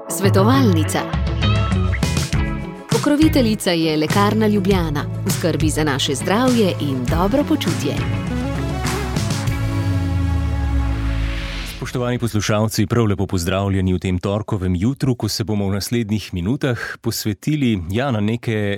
Svetovalnica. Pokroviteljica je Lekarna Ljubljana, v skrbi za naše zdravje in dobro počutje. Spoštovani poslušalci, prav lepo pozdravljeni v tem torkovem jutru, ko se bomo v naslednjih minutah posvetili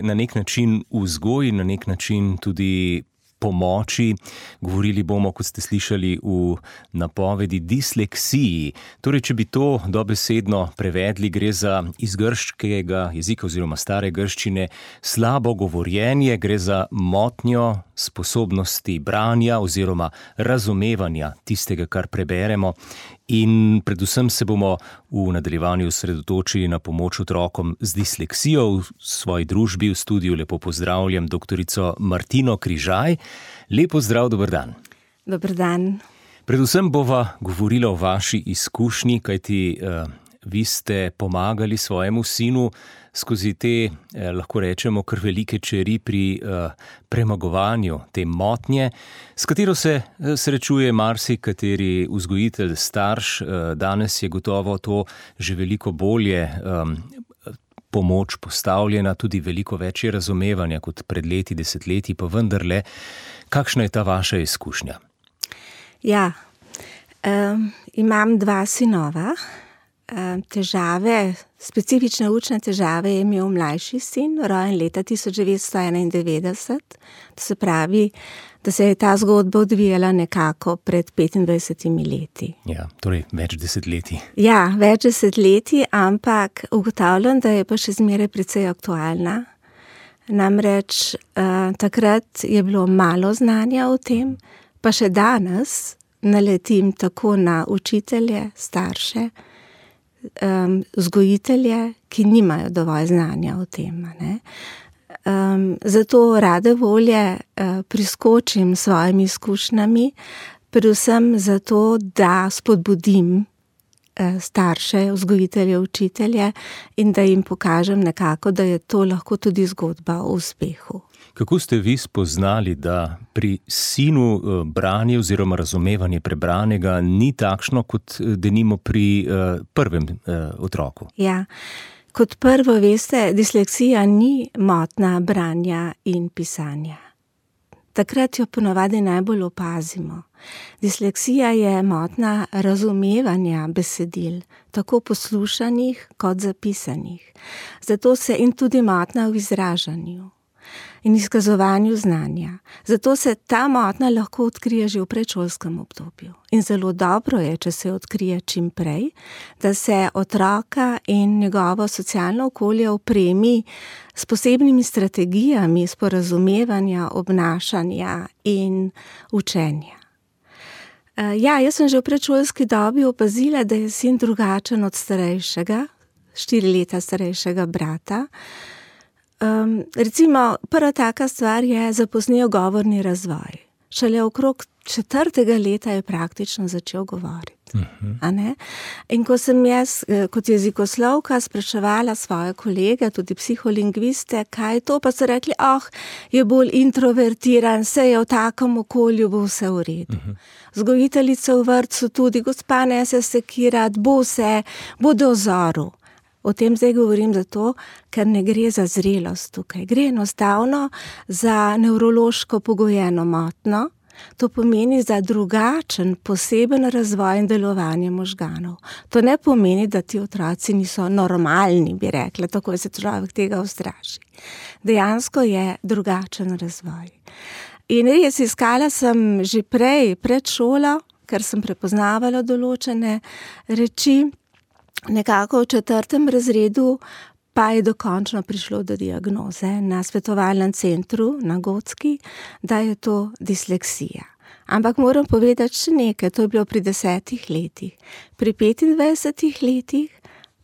na nek način vzgoji, na nek način tudi pomoči. Govorili bomo, kot ste slišali v napovedi, disleksiji. Torej, če bi to dobesedno prevedli, gre za iz grškega jezika oziroma stare grščine slabo govorjenje, gre za motnjo sposobnosti branja oziroma razumevanja tistega, kar preberemo. In predvsem se bomo v nadaljevanju osredotočili na pomoč otrokom z disleksijo. V svoji družbi v studiu lepo pozdravljam doktorico Martino Križaj. Lepo zdrav, dober dan. Dober dan. Predvsem bova govorila o vaši izkušnji, kajti vi ste pomagali svojemu sinu skozi te, lahko rečemo, kar velike čeri pri premagovanju te motnje, s katero se srečuje marsikateri vzgojitelj, starš. Danes je gotovo to že veliko bolje pomoč postavljena, tudi veliko več je razumevanja kot pred leti, desetletji, pa vendarle, kakšna je ta vaša izkušnja? Ja, imam 2 sinova. Specifične učne težave je imel mlajši sin, rojen leta 1991. To se pravi, da se je ta zgodba odvijala nekako pred 25 leti. Ja, torej več desetletij. Ja, več desetletij, ampak ugotavljam, da je pa še zmeraj precej aktualna. Namreč takrat je bilo malo znanja o tem, pa še danes naletim tako na učitelje, starše, vzgojitelje, ki nimajo dovolj znanja o tem. Zato rade volje priskočim s svojimi izkušnjami, predvsem zato, da spodbudim starše, vzgojitelje, učitelje in da jim pokažem nekako, da je to lahko tudi zgodba o uspehu. Kako ste vi spoznali, da pri sinu branje oziroma razumevanje prebranega ni takšno, kot denimo pri prvem otroku? Ja, kot prvo veste, disleksija ni motnja branja in pisanja. Takrat jo ponavadi najbolj opazimo. Disleksija je motnja razumevanja besedil, tako poslušanih kot zapisanih. Zato se in tudi motnja v izražanju in izkazovanju znanja. Zato se ta motnja lahko odkrije že v predšolskem obdobju. In zelo dobro je, če se odkrije čim prej, da se otroka in njegovo socialno okolje opremi s posebnimi strategijami sporazumevanja, obnašanja in učenja. Ja, jaz sem že v predšolski dobi opazila, da je sin drugačen od starejšega, 4 leta starejšega brata. Recimo, prva taka stvar je zapoznel govorni razvoj. Šele okrog 4. leta je praktično začel govoriti. A ne? In ko sem jaz kot jezikoslovka spraševala svoje kolege, tudi psiholingviste, kaj je to, pa so rekli, je bolj introvertiran, se je v takem okolju, bo vse v redu. Vzgojiteljica v vrtcu tudi, gospa ne se sekirati, bo do vzoru. O tem zdaj govorim zato, ker ne gre za zrelost tukaj. Gre enostavno za nevrološko pogojeno motnjo. To pomeni za drugačen, poseben razvoj in delovanje možganov. To ne pomeni, da ti otroci niso normalni, bi rekla, tako se človek tega ustraši. Dejansko je drugačen razvoj. In res iskala sem že pred šolo, ker sem prepoznavala določene reči. Nekako v 4. razredu pa je dokončno prišlo do diagnoze na svetovalnem centru na Gotski, da je to disleksija. Ampak moram povedati še nekaj, to je bilo pri 10 letih. Pri 25 letih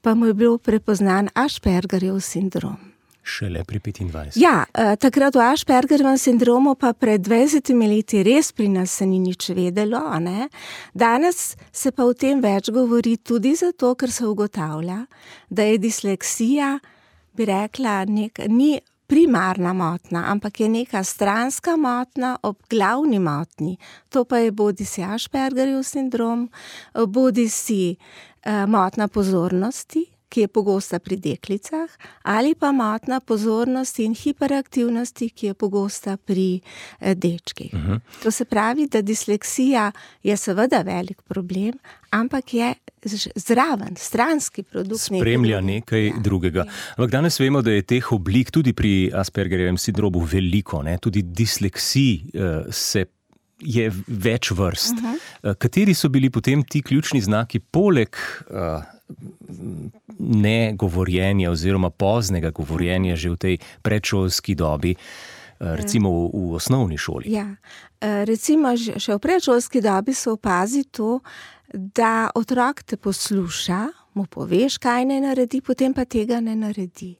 pa mu je bil prepoznan Aspergerjev sindrom. Šele pri 25. Ja, takrat o Aspergerjevem sindromu pa pred 20 leti res pri nas se ni nič vedelo, ne? Danes se pa o tem več govori tudi zato, ker se ugotavlja, da je disleksija, bi rekla, ni primarna motnja, ampak je neka stranska motnja ob glavni motnji. To pa je bodisi Aspergerjev sindrom, bodisi motnja pozornosti, ki je pogosta pri deklicah, ali pa motnja pozornosti in hiperaktivnosti, ki je pogosta pri dečkih. To se pravi, da disleksija je seveda velik problem, ampak je zraven, stranski produkt. Spremlja nekaj drugega. Ampak danes vemo, da je teh oblik tudi pri Aspergerjevem sindromu veliko, ne? Tudi disleksij je več vrst. Kateri so bili potem ti ključni znaki poleg negovorjenja oziroma poznega govorjenja že v tej predšolski dobi, recimo v osnovni šoli? Ja, recimo še v predšolski dobi se opazi to, da otrok te posluša, mu poveš, kaj ne naredi, potem pa tega ne naredi.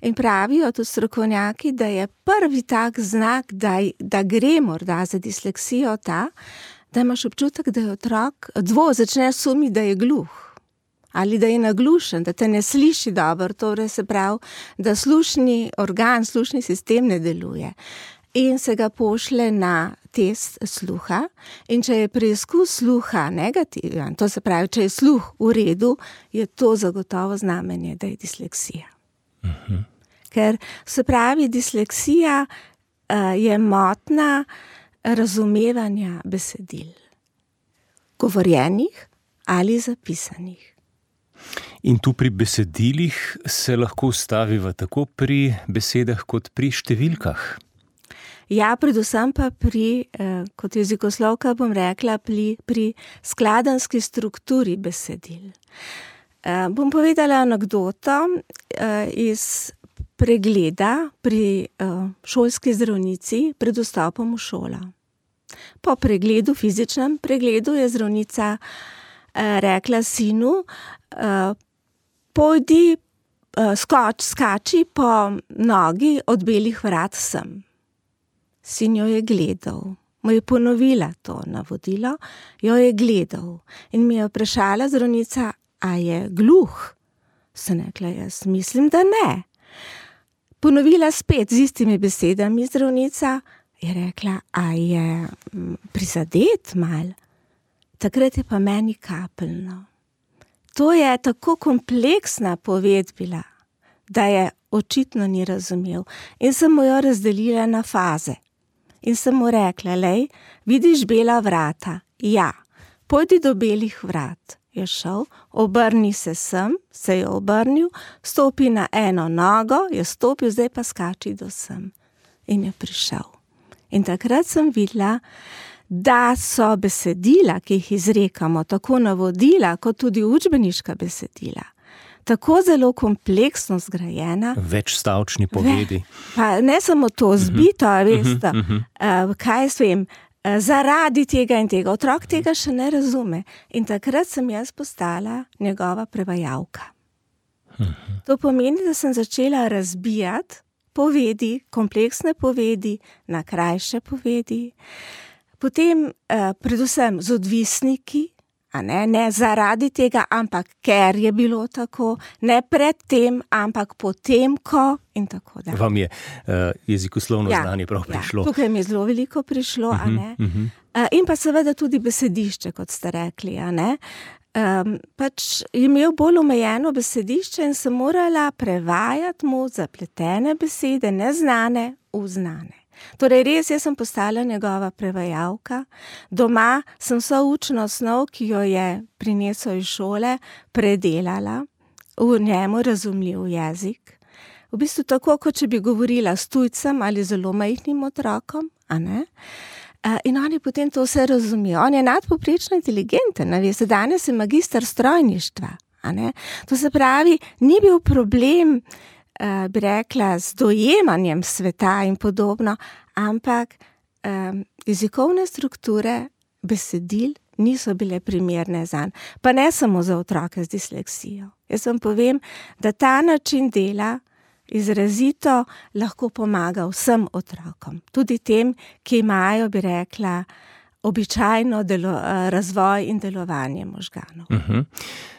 In pravijo tudi strokovnjaki, da je prvi tak znak, da gre morda za disleksijo ta, da imaš občutek, da je otrok začne sumiti, da je gluh. Ali da je naglušen, da te ne sliši dobro, torej se pravi, da slušni organ, slušni sistem ne deluje. In se ga pošle na test sluha, in če je preizkus sluha negativen, to se pravi, če je sluh v redu, je to zagotovo znamenje, da je disleksija. Ker se pravi, disleksija je motnja razumevanja besedil, govorjenih ali zapisanih. In tu pri besedilih se lahko ustaviva tako pri besedah kot pri številkah. Ja, predvsem pa pri, kot jezikoslovka bom rekla, pri skladenjski strukturi besedil. Bom povedala anekdoto iz pregleda pri šolski zdravnici pred vstopom v šolo. Po pregledu, fizičnem pregledu, je zdravnica rekla sinu, pojdi, skači po nogi od belih vrat sem. Sin jo je gledal, mu je ponovila to navodilo, jo je gledal in mi je vprašala zdravnica, a je gluh? Sem rekla, jaz mislim, da ne. Ponovila spet z istimi besedami zdravnica, je rekla, a je prizadet mal? Takrat je pa meni kapljno. To je tako kompleksna poved bila, da je očitno ni razumel. In sem mu jo razdelila na faze. In sem mu rekla, lej, vidiš bela vrata? Ja, pojdi do belih vrat. Je šel, obrni se sem, se je obrnil, stopi na eno nogo, je stopil, zdaj pa skači do sem. In je prišel. In takrat sem videla, da so besedila, ki jih izrekamo, tako navodila, kot tudi učbeniška besedila, tako zelo kompleksno zgrajena. Večstavčni povedi. Pa ne samo to, zbito, veste, kaj jaz vem, zaradi tega in tega. Otrok tega še ne razume. In takrat sem jaz postala njegova prevajalka. To pomeni, da sem začela razbijati povedi, kompleksne povedi, na krajše povedi. Potem predvsem z odvisniki, ne zaradi tega, ampak ker je bilo tako, ne pred tem, ampak potem, ko in tako dalje. Vam je jezikoslovno znanje prav prišlo? Ja, tukaj mi je zelo veliko prišlo, a ne. In pa seveda tudi besedišče, kot ste rekli, a ne. Pač je imel bolj omejeno besedišče in sem morala prevajati mu zapletene besede, neznane v znane. Torej res, jaz sem postala njegova prevajalka. Doma sem vso učno osnov, ki jo je prinesel iz šole, predelala v njemu razumljiv jezik. V bistvu tako, kot če bi govorila s tujcem ali zelo majhnim otrokom, a ne? In on je potem to vse razumel. On je nadpovprečno inteligenten, veste, danes je magister strojništva, a ne? To se pravi, ni bil problem, bi rekla, z dojemanjem sveta in podobno, ampak jezikovne strukture besedil niso bile primerne zanj. Pa ne samo za otroke z disleksijo. Jaz vam povem, da ta način dela izrazito lahko pomaga vsem otrokom. Tudi tem, ki imajo, bi rekla, običajno razvoj in delovanje možganov.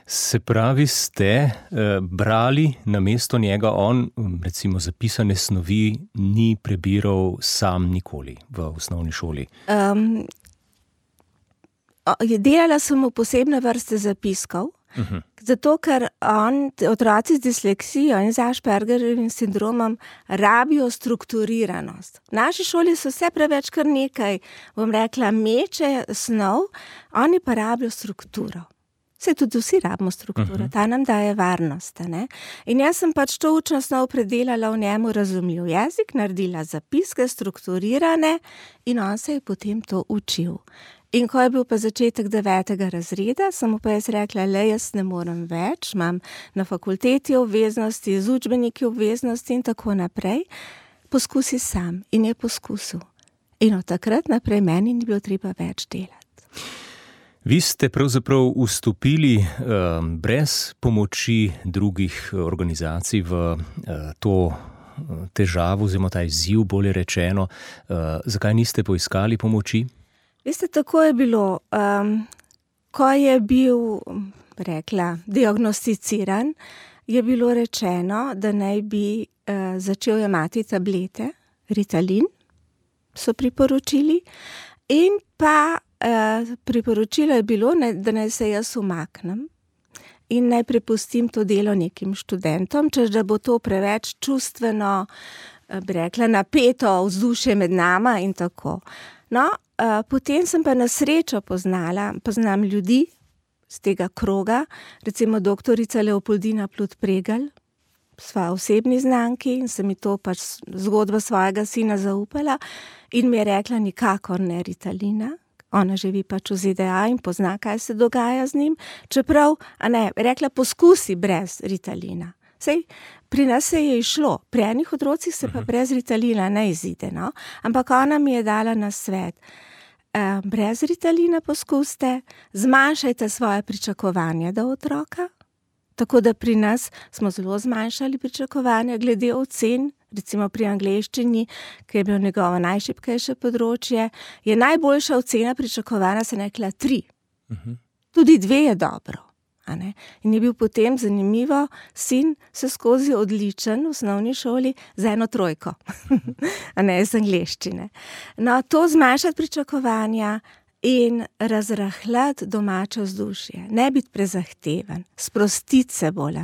Se pravi, ste brali namesto njega, on recimo zapisane snovi ni prebiral sam nikoli v osnovni šoli? Delala sem mu posebne vrste zapiskov, zato ker otroci z disleksijo in z Aspergerjevim sindromom rabijo strukturiranost. V naši šoli so vse preveč kar nekaj, bom rekla, meče snov, oni pa rabijo strukturo. Saj tudi vsi rabimo strukturo, ta nam daje varnost. Ne? In jaz sem pač to učno snov predelala v njemu razumljiv jezik, naredila zapiske, strukturirane in on se je potem to učil. In ko je bil pa začetek 9. razreda, sem mu pa jaz rekla, jaz ne morem več, imam na fakulteti obveznosti, z učbeniki obveznosti in tako naprej. Poskusi sam. In je poskusil. In od takrat naprej meni ni bilo treba več delati. Vi ste pravzaprav vstopili brez pomoči drugih organizacij v to težavo, oziroma ta izziv, bolje rečeno. Zakaj niste poiskali pomoči? Veste, tako je bilo, ko je bil, diagnosticiran, je bilo rečeno, da naj bi začel jemati tablete, Ritalin, so priporočili, in pa priporočilo je bilo, da naj se jaz umaknem in naj prepustim to delo nekim študentom, češ da bo to preveč čustveno, napeto vzdušje med nama in tako. No, potem sem pa na srečo poznam ljudi z tega kroga, recimo doktorica Leopoldina Plut-Pregelj, sva osebni znanki in sem mi to pač zgodbo svojega sina zaupala in mi je rekla nikakor ne Ritalina. Ona živi pač v ZDA in pozna, kaj se dogaja z njim, čeprav, rekla poskusi brez Ritalina. Sej, pri nas se je išlo, pri enih otrocih se pa brez Ritalina ne izide, no? Ampak ona mi je dala nasvet. Brez Ritalina poskuste, zmanjšajte svoje pričakovanja do otroka, tako da pri nas smo zelo zmanjšali pričakovanja glede ocen, recimo pri angleščini, ki je bilo njegovo najšibkejše področje, je najboljša ocena pričakovana, se rekla 3. Tudi 2 je dobro. In je bil potem zanimivo, sin se skozi odličen v osnovni šoli z 1 3, iz angleščine. No, to zmanjšati pričakovanja in razrahljati domače vzdušje, ne biti prezahteven, sprostiti se bolj,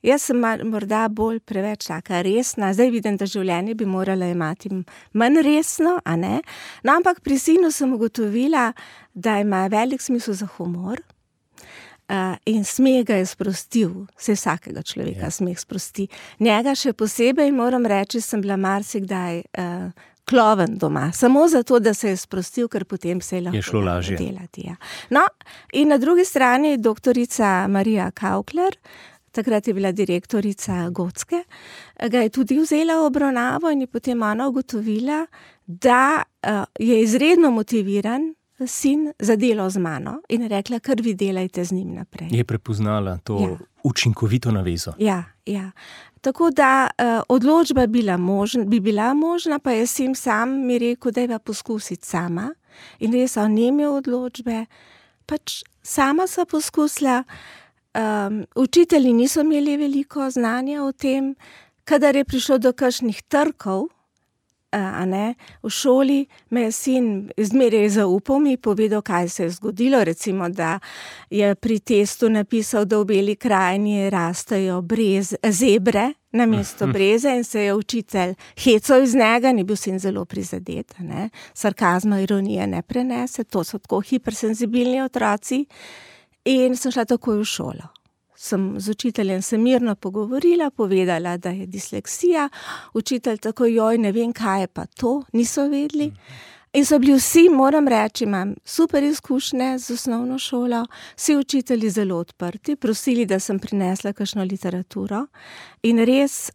Jaz sem morda bolj preveč taka resna, zdaj vidim, da življenje bi morala imati manj resno, No, ampak pri sinu sem ugotovila, da ima velik smisel za humor, in smeh ga je sprostil, vsakega človeka smeh sprosti. Njega še posebej, moram reči, sem bila marsikdaj kloven doma, samo zato, da se je sprostil, ker potem se je lahko delati. Ja. No, in na drugi strani doktorica Marija Kaukler, takrat je bila direktorica Gotske, ga je tudi vzela v obravnavo in je potem ona ugotovila, da je izredno motiviran sin za delo z mano in rekla, kar vi delajte z njim naprej. Je prepoznala to učinkovito navezo. Ja. Tako da odločba bi bila možna, pa je sin sam mi rekel, da je poskusiti sama. In res on ni imel odločbe, pač sama sva poskusila. Učitelji niso imeli veliko znanja o tem, kadar je prišlo do kakšnih trkov, v šoli me je sin zmeraj zaupal, mi povedal, kaj se je zgodilo, recimo, da je pri testu napisal, da v Beli krajini rastejo zebre namesto breze in se je učitelj hecal iz njega, ni bil sin zelo prizadet, sarkazma, ironije ne prenese, to so tako hipersenzibilni otroci in sem šla takoj v šolo. Z učiteljem se mirno pogovorila, povedala, da je disleksija, učitelj tako, ne vem, kaj je pa to, niso vedeli. In so bili vsi, moram reči, imam super izkušnje z osnovno šolo, vsi učitelji zelo odprti, prosili, da sem prinesla kakšno literaturo in res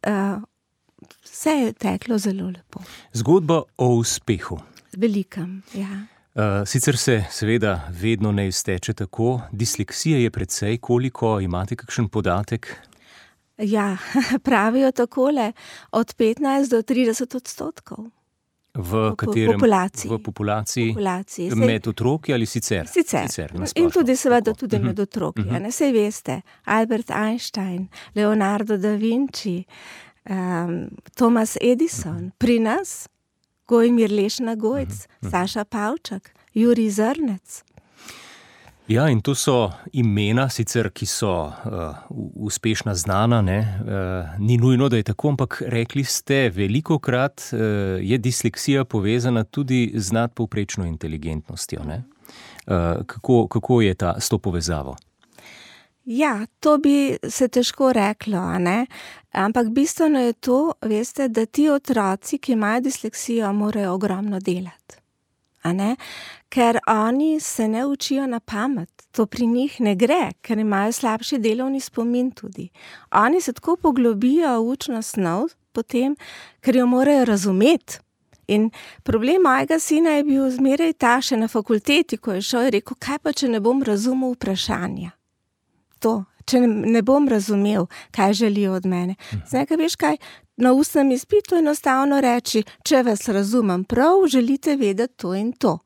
vse je teklo zelo lepo. Zgodba o uspehu. Velikem, ja. Sicer se seveda vedno ne izteče tako. Disleksija je precej, koliko, imate kakšen podatek? Ja, pravijo takole, od 15 do 30%. V katerem? V populaciji. Med otroki ali sicer? Sicer. In tudi seveda tudi med otroki. Sej veste, Albert Einstein, Leonardo da Vinci, Thomas Edison, pri nas Gojmir Lešna Gojc, Saša Pavčak, Jurij Zrnec. Ja, in to so imena, sicer, ki so uspešna, znana, ne? Ni nujno, da je tako, ampak rekli ste, velikokrat je disleksija povezana tudi z nadpovprečno inteligentnostjo, ne? Kako je s to povezavo? Ja, to bi se težko reklo, ne? Ampak bistveno je to, veste, da ti otroci, ki imajo disleksijo, morajo ogromno delati. Ker oni se ne učijo na pamet, to pri njih ne gre, ker imajo slabši delovni spomin tudi. Oni se tako poglobijo v učno snov potem, ker jo morajo razumeti. In problem mojega sina je bil zmeraj ta, še na fakulteti, ko je šel, je rekel, kaj pa, če ne bom razumel vprašanja? To, če ne bom razumel, kaj želijo od mene. Zdaj, veš kaj, na ustnem izpitu enostavno reči, če vas razumem prav, želite vedeti to in to.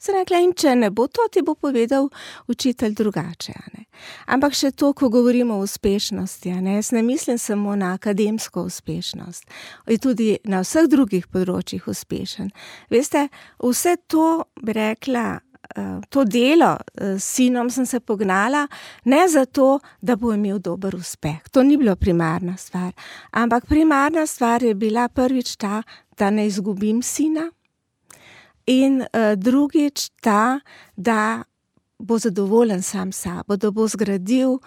Sem rekla, in če ne bo to, ti bo povedal učitelj drugače. Ampak še to, ko govorimo o uspešnosti, jaz ne mislim samo na akademsko uspešnost, je tudi na vseh drugih področjih uspešen. Veste, vse to, bi rekla, to delo s sinom sem se pognala, ne zato, da bo imel dober uspeh. To ni bilo primarna stvar. Ampak primarna stvar je bila prvič ta, da ne izgubim sina, in drugič ta, da bo zadovoljen sam sabo, da bo zgradil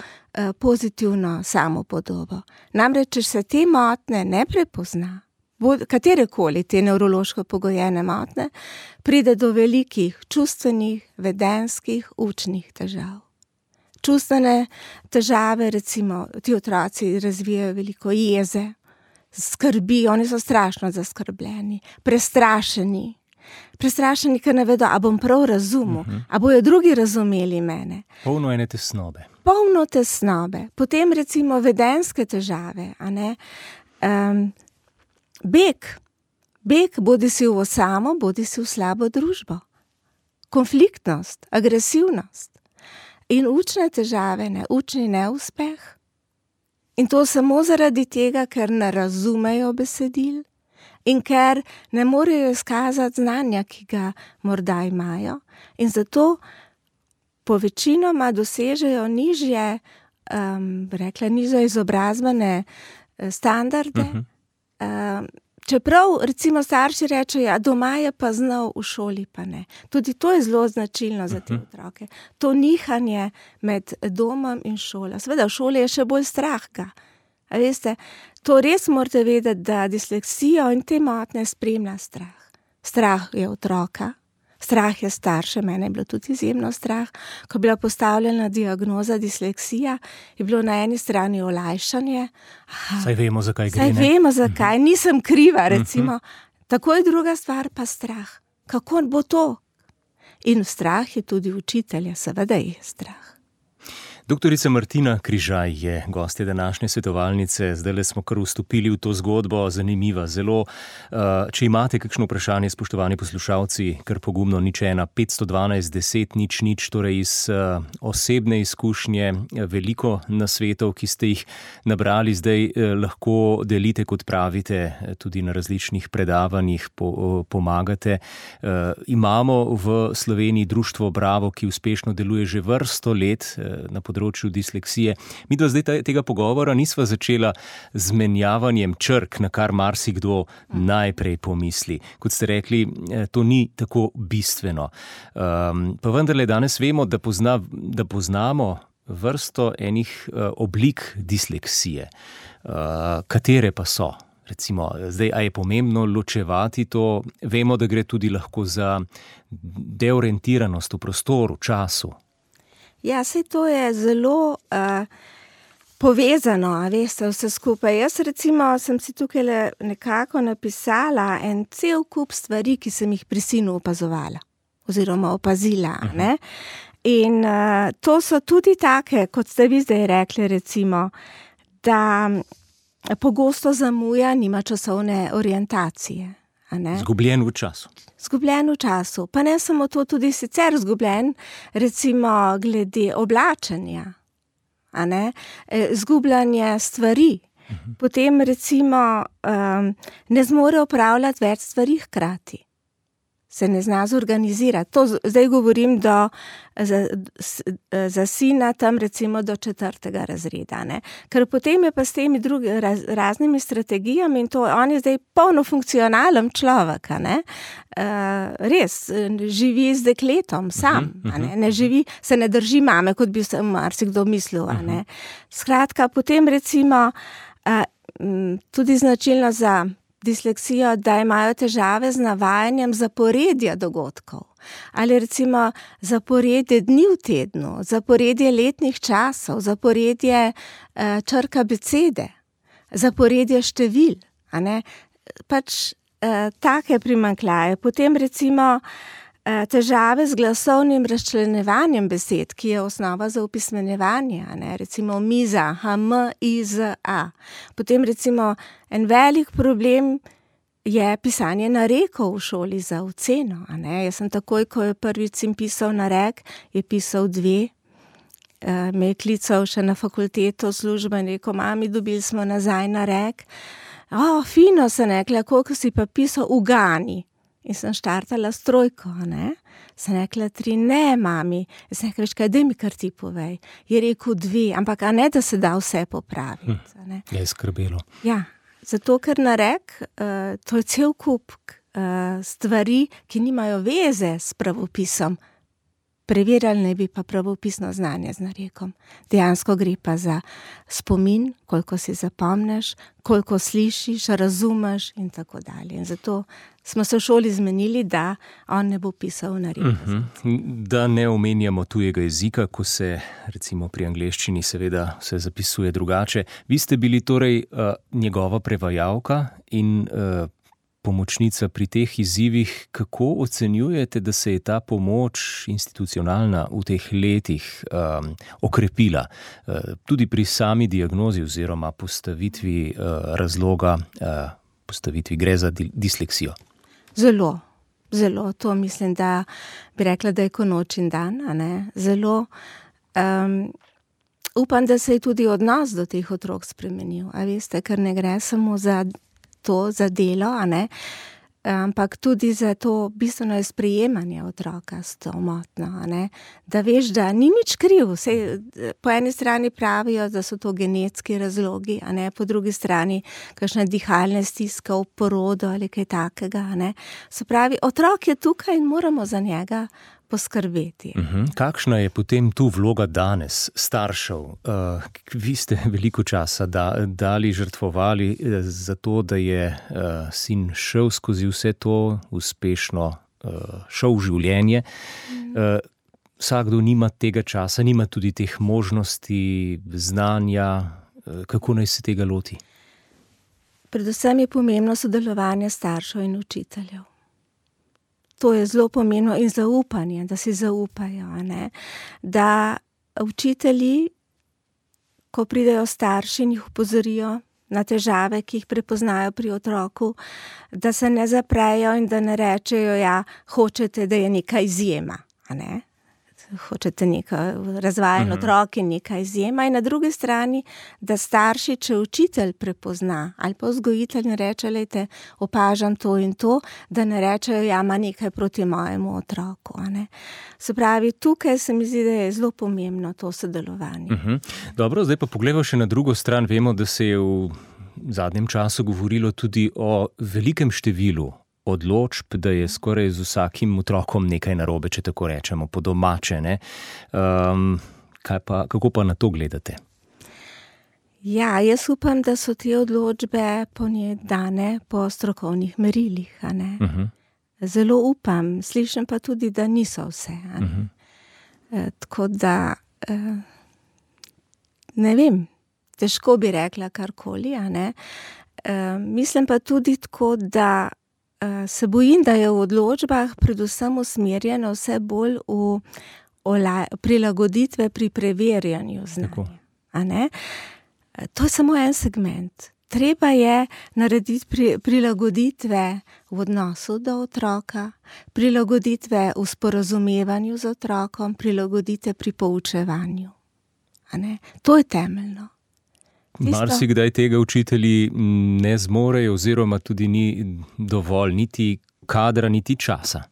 pozitivno samopodobo. Namreč, če se te motnje ne prepozna, katerekoli te nevrološko pogojene motnje, pride do velikih čustvenih, vedenjskih, učnih težav. Čustvene težave, recimo, ti otroci razvijajo veliko jeze, skrbi, oni so strašno zaskrbljeni, prestrašeni, ker ne vedo, a bom prav razumel, a bojo drugi razumeli mene. Polno ene tesnobe. Polno tesnobe. Potem recimo vedenjske težave, beg bodi si v osamo, bodi si v slabo družbo. Konfliktnost, agresivnost. In učne težave, učni neuspeh. In to samo zaradi tega, ker ne razumejo besedil in ker ne morejo izkazati znanja, ki ga morda imajo. In zato povečinoma dosežejo nižje izobrazbene standarde. Čeprav recimo starši rečejo, doma je pa znal, v šoli pa ne. Tudi to je zelo značilno za te otroke. To nihanje med domom in šolo. Seveda v šoli je še bolj strah ga. A veste, to res morate vedeti, da disleksijo in te motnje spremlja strah. Strah je otroka, strah je starše, mene je bilo tudi izjemno strah. Ko je bila postavljena diagnoza disleksija, je bilo na eni strani olajšanje. Saj vemo, zakaj gre, ne? Saj vemo, zakaj, nisem kriva, recimo. Tako je druga stvar pa strah. Kako bo to? In strah je tudi učitelja, seveda je strah. Doktorica Martina Križaj je gostja današnje svetovalnice. Zdajle smo kar vstopili v to zgodbo, zanimiva zelo. Če imate kakšno vprašanje, spoštovani poslušalci, kar pogumno 01 512 10 00, torej iz osebne izkušnje, veliko nasvetov, ki ste jih nabrali, zdaj lahko delite, kot pravite, tudi na različnih predavanjih, pomagate. Imamo v Sloveniji društvo Bravo, ki uspešno deluje že vrsto let na področju disleksije. Mi do zdaj tega pogovora nisva začela z menjavanjem črk, na kar marsikdo najprej pomisli. Kot ste rekli, to ni tako bistveno. Pa vendarle danes vemo, da poznamo vrsto enih oblik disleksije. Katere pa so? Recimo, zdaj, a je pomembno ločevati to? Vemo, da gre tudi lahko za deorientiranost v prostoru, času. Ja, saj to je zelo povezano, veste, vse skupaj. Jaz recimo sem si tukaj nekako napisala en cel kup stvari, ki sem jih pri sinu opazovala oziroma opazila. Ne? In to so tudi take, kot ste vi zdaj rekli, recimo, da pogosto zamuja, nima časovne orientacije. Zgubljen v času. Zgubljen v času. Pa ne samo to, tudi sicer zgubljen, recimo glede oblačenja, zgubljanje stvari. Potem recimo ne zmore opravljati več stvari hkrati. Se ne zna zorganizirati. To zdaj govorim za sina tam recimo do 4. razreda. Ne? Ker potem je pa s temi raznimi strategijami in to, on je zdaj polno funkcionalen človek. Res, živi z dekletom sam. Ne živi, se ne drži mame, kot bi se marsikdo mislil. Skratka, potem recimo tudi značilno za disleksijo, da imajo težave z navajanjem zaporedja dogodkov. Ali recimo zaporedje dni v tednu, zaporedje letnih časov, zaporedje črk abecede, zaporedje števil. Pač take primanjkljaje. Potem recimo težave z glasovnim razčlenjevanjem besed, ki je osnova za opismenjevanje, recimo miza, M-I-Z-A. Potem recimo en velik problem je pisanje narekov v šoli za oceno. Jaz sem takoj, ko je prvič sin pisal narek, je pisal 2. Me je klical še na fakulteto službo in rekel, mami, dobili smo nazaj narek. Fino, sem rekla, koliko si pa pisal, ugani. In sem štartala s 3, Sem rekla 3, ne, mami. Sem rekla, kaj, daj mi kar ti povej. Je rekel 2, ampak da se da vse popraviti. Je skrbelo. Ja, zato ker narek, to je cel kup stvari, ki nimajo veze s pravopisom. Preverjali ne bi pa pravopisno znanje z narekom. Dejansko gre pa za spomin, koliko si zapomneš, koliko slišiš, razumeš in tako dalje. In zato smo se v šoli zmenili, da on ne bo pisal nareka. Da ne omenjamo tujega jezika, ko se recimo pri angleščini seveda se zapisuje drugače. Vi ste bili torej njegova prevajalka in pomočnica pri teh izzivih. Kako ocenjujete, da se je ta pomoč institucionalna v teh letih okrepila? Tudi pri sami diagnozi oziroma postavitvi razloga, postavitvi gre za disleksijo. Zelo, zelo. To mislim, da bi rekla, da je ko noč in dan. Zelo. Upam, da se je tudi odnos do teh otrok spremenil. A veste, ker ne gre samo za to, za delo, ampak tudi za to bistveno je sprejemanje otroka s to motnjo, da veš, da ni nič kriv. Po eni strani pravijo, da so to genetski razlogi, po drugi strani kakšne dihalne stiske v porodu ali kaj takega. Se pravi, otrok je tukaj in moramo za njega poskrbeti. Kakšna je potem tu vloga danes staršev? Vi ste veliko časa dali, žrtvovali za to, da je sin šel skozi vse to, uspešno šel v življenje. Vsakdo nima tega časa, nima tudi teh možnosti, znanja. Kako naj se tega loti? Predvsem je pomembno sodelovanje staršev in učiteljev. To je zelo pomembno in zaupanje, da si zaupajo, da učitelji, ko pridejo starši in jih opozorijo na težave, ki jih prepoznajo pri otroku, da se ne zaprejo in da ne rečejo, hočete, da je neka izjema, hočete neka razvajen otrok in neka izjema. In na drugi strani, da starši, če učitelj prepozna ali pa vzgojitelj ne reče, lejte, opažam to in to, da ne rečejo, ima nekaj proti mojemu otroku. Se pravi, tukaj se mi zdi, da je zelo pomembno to sodelovanje. Dobro, zdaj pa pogledamo še na drugo stran. Vemo, da se je v zadnjem času govorilo tudi o velikem številu odločb, da je skoraj z vsakim otrokom nekaj narobe, če tako rečemo, po domače. Kako pa na to gledate? Ja, jaz upam, da so te odločbe dane po strokovnih merilih. Zelo upam, slišim pa tudi, da niso vse. Tako da, ne vem, težko bi rekla karkoli. Mislim pa tudi tako, da se bojim, da je v odločbah predvsem usmerjeno vse bolj v prilagoditve pri preverjanju znanja. To je samo en segment. treba je narediti prilagoditve v odnosu do otroka, prilagoditve v sporazumevanju z otrokom, prilagoditve pri poučevanju. A ne? To je temeljno. Marsikdaj tega učitelji ne zmorejo oziroma tudi ni dovolj niti kadra, niti časa.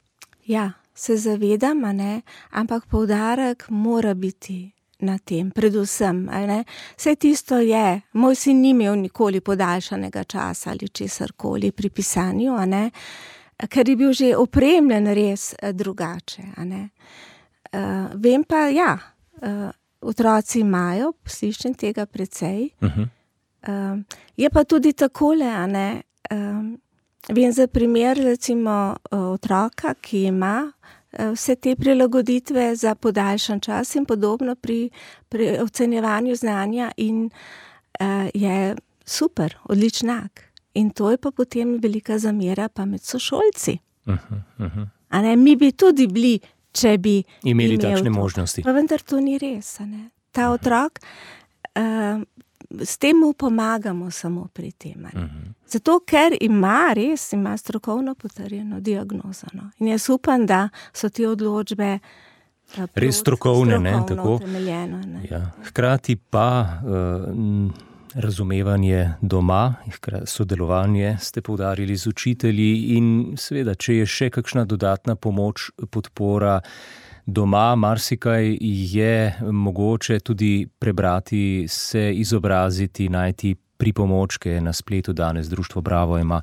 Ja, se zavedam, a ne? Ampak poudarek mora biti na tem, predvsem. A ne? Vse tisto je, moj sin ni imel nikoli podaljšanega časa ali česarkoli pri pisanju, a ne? Ker je bil že opremljen res drugače. A ne? Vem pa, ja, otroci imajo, slišim tega precej. Je pa tudi takole, a ne, vem za primer, recimo, otroka, ki ima vse te prilagoditve za podaljšan čas in podobno pri ocenjevanju znanja in je super, odličnak. In to je pa potem velika zamera pa med sošolci. A ne, mi bi tudi bili, če bi imeli takšne možnosti. Pa vendar to ni res, a ne. Ta otrok, s tem mu pomagamo samo pri tem. Zato, ker ima strokovno potrjeno diagnozo. No. In jaz upam, da so te odločbe res strokovne, ne, tako. Ne. Ja. Hkrati pa razumevanje doma, sodelovanje ste poudarili z učitelji in seveda, če je še kakšna dodatna pomoč, podpora doma, marsikaj je mogoče tudi prebrati, se izobraziti, najti pripomočke na spletu. Danes Društvo Bravo ima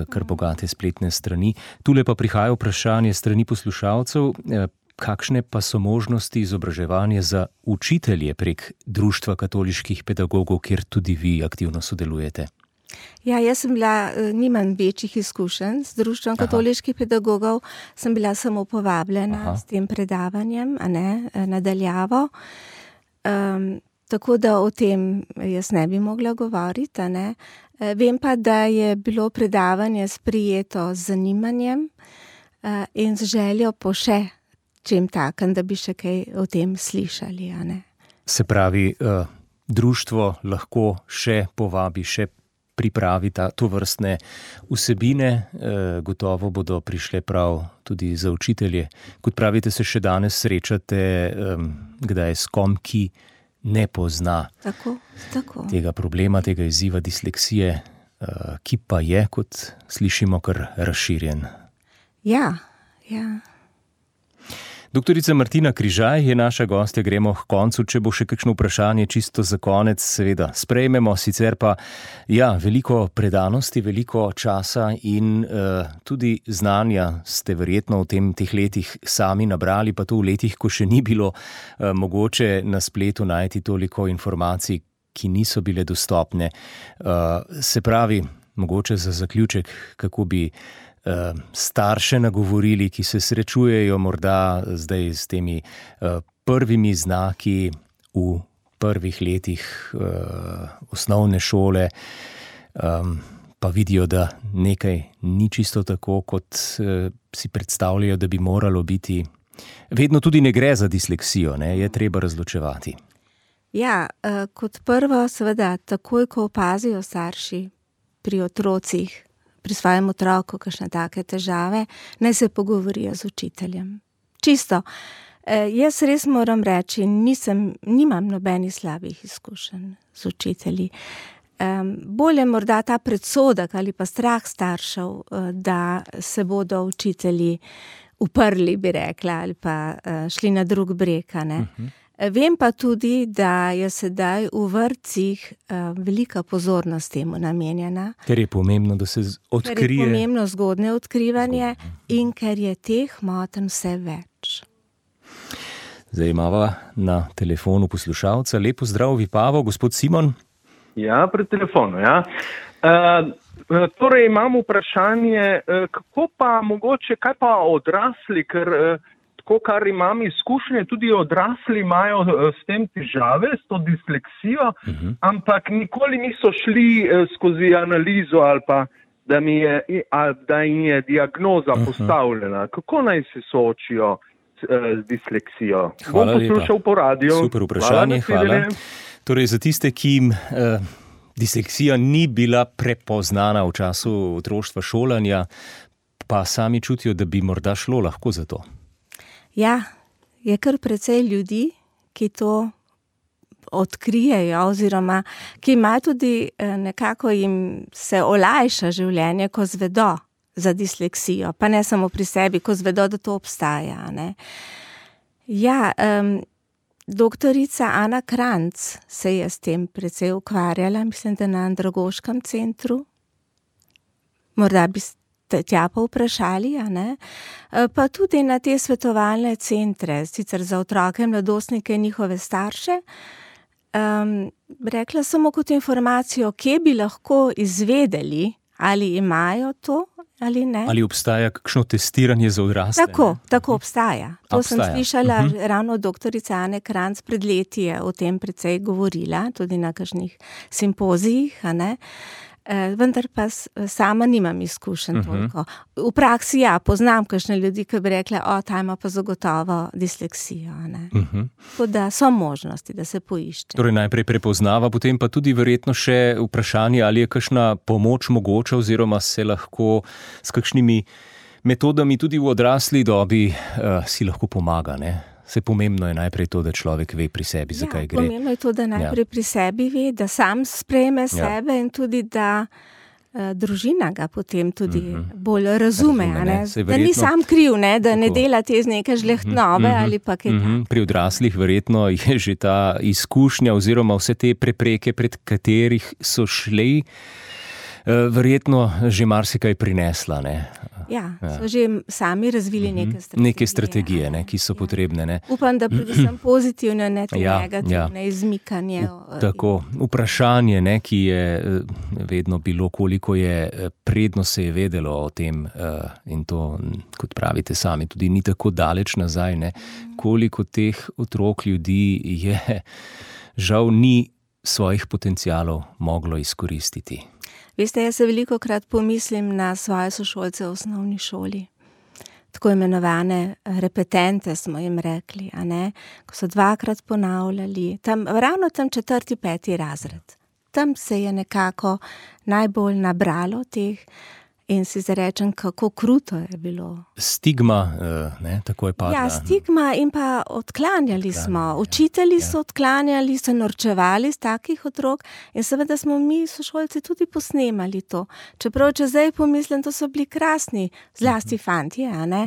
kar bogate spletne strani. Tule pa prihaja vprašanje strani poslušalcev, kakšne pa so možnosti izobraževanja za učitelje prek Društva katoliških pedagogov, kjer tudi vi aktivno sodelujete? Ja, jaz sem bila, nimam večjih izkušenj z Društvom katoliških pedagogov, sem bila samo povabljena s tem predavanjem, a ne, nadaljavo. Tako da o tem jaz ne bi mogla govoriti, a ne. Vem pa, da je bilo predavanje sprijeto z zanimanjem in z željo po še čem takem, da bi še kaj o tem slišali, a ne. Se pravi, društvo lahko še povabi, še pripravi to vrstne vsebine, gotovo bodo prišle prav tudi za učitelje. Kot pravite, se še danes srečate, kdaj s kom, ki ne pozna tega problema, tega izziva disleksije, ki pa je, kot slišimo, kar razširjen. Ja. Doktorica Martina Križaj je naša gostja, gremo k koncu, če bo še kakšno vprašanje čisto za konec, seveda sprejmemo, sicer pa veliko predanosti, veliko časa in tudi znanja ste verjetno v teh letih sami nabrali, pa to v letih, ko še ni bilo mogoče na spletu najti toliko informacij, ki niso bile dostopne. Se pravi, mogoče za zaključek, kako bi starše nagovorili, ki se srečujejo morda zdaj s temi prvimi znaki v prvih letih osnovne šole, pa vidijo, da nekaj ni čisto tako, kot si predstavljajo, da bi moralo biti. Vedno tudi ne gre za disleksijo, ne? Je treba razločevati. Ja, kot prvo, seveda, takoj, ko opazijo starši pri otrocih, pri svojem otroku kakšne take težave, naj se pogovorijo z učiteljem. Čisto. Jaz res moram reči, nimam nobenih slabih izkušenj z učitelji. Bolje morda ta predsodek ali pa strah staršev, da se bodo učitelji uprli, bi rekla, ali pa šli na drug breg, ne. Vem pa tudi, da je sedaj v vrtcih velika pozornost temu namenjena. Ker je pomembno, da se odkrije. Ker je pomembno zgodnje odkrivanje in ker je teh motenj vse več. Zdaj imava na telefonu poslušalca. Lep pozdrav, Vipavo, gospod Simon. Ja, pri telefonu, ja. Torej imam vprašanje, kako pa mogoče, kaj pa odrasli, ker kar imam izkušnje, tudi odrasli imajo s tem težave, s to disleksijo, ampak nikoli niso šli skozi analizo ali pa, da jim je diagnoza postavljena. Kako naj se soočijo z disleksijo? Hvala lepa. Bom poslušal po radiju. Super vprašanje, hvala. Torej, za tiste, ki jim Disleksija ni bila prepoznana v času otroštva, šolanja, pa sami čutijo, da bi morda šlo lahko za to. Ja, je kar precej ljudi, ki to odkrijejo oziroma ki imajo tudi nekako jim se olajša življenje, ko zvedo za disleksijo, pa ne samo pri sebi, ko zvedo, da to obstaja, ne. Ja, doktorica Ana Kranjc se je s tem precej ukvarjala, mislim, da na Andragoškem centru. Morda bi tja pa vprašali, a ne? Pa tudi na te svetovalne centre, sicer za otroke, mladostnike in njihove starše. Rekla samo kot informacijo, kje bi lahko izvedeli, ali imajo to ali ne. Ali obstaja kakšno testiranje za odrasle? Tako obstaja. To sem slišala ravno od doktorice Ane Kranjc, pred leti je o tem precej govorila, tudi na kakšnih simpozijih, a ne. Vendar pa sama nimam izkušenj toliko. V praksi poznam kakšne ljudi, ki bi rekla, ta ima pa zagotovo disleksijo, ne. Tako da so možnosti, da se poišče. Torej najprej prepoznava, potem pa tudi verjetno še vprašanje, ali je kakšna pomoč mogoča oziroma se lahko s kakšnimi metodami tudi v odrasli dobi si lahko pomaga, ne. Se pomembno je najprej to, da človek ve pri sebi, zakaj gre. Pomembno je to, da najprej pri sebi ve, da sam sprejme sebe in tudi, da družina ga potem tudi bolj razume, ne? Da ni sam kriv, ne? Da ne dela te z neke žlehtnobe ali pa kaj tako. Pri odraslih verjetno je že ta izkušnja oziroma vse te prepreke, pred katerih so šli, verjetno že marsikaj prinesla, ne? Ja, so že sami razvili neke strategije, ne, ki so potrebne, ne. Upam, da predvsem pozitivne, ne te negativne, izmikanje. Tako, vprašanje, ne, ki je vedno bilo, koliko je predno se je vedelo o tem, in to, kot pravite sami, tudi ni tako daleč nazaj, ne, koliko teh otrok, ljudi je žal ni svojih potencialov moglo izkoristiti. Veste, jaz se velikokrat pomislim na svoje sošolce v osnovni šoli. Tako imenovane repetente smo jim rekli, a ne, ko so 2-krat ponavljali, ravno tam 4., 5. razred. Tam se je nekako najbolj nabralo teh in si zarečem, kako kruto je bilo. Stigma, ne, tako je padla. Ja, stigma in pa odklanjali smo. Učitelji so odklanjali, so norčevali z takih otrok in seveda smo mi, sošolci, tudi posnemali to. Čeprav, če zdaj pomislim, to so bili krasni, zlasti fantje, a ne?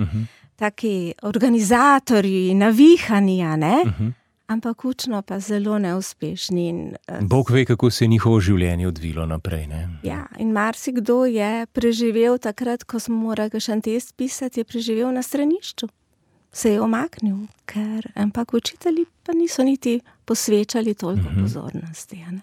Taki organizatorji, navihani, a ne? Ampak učno pa zelo neuspešni. Bog ve, kako se je njihovo življenje odvilo naprej, ne? Ja, in marsikdo je preživel takrat, ko smo morali kakšen test pisati, je preživel na stranišču. Se je omaknil, ampak učitelji pa niso niti posvečali toliko pozornosti, a ne?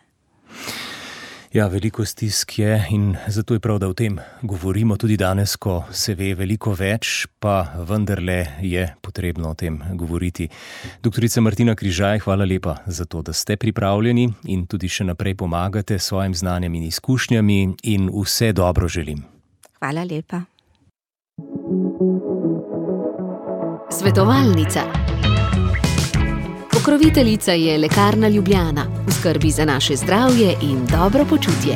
Ja, veliko stisk je in zato je prav, da o tem govorimo tudi danes, ko se ve veliko več, pa vendarle je potrebno o tem govoriti. Doktorica Martina Križaj, hvala lepa za to, da ste pripravljeni in tudi še naprej pomagate s svojim znanjem in izkušnjami in vse dobro želim. Hvala lepa. Svetovalnica. Pokroviteljica je Lekarna Ljubljana, v skrbi za naše zdravje in dobro počutje.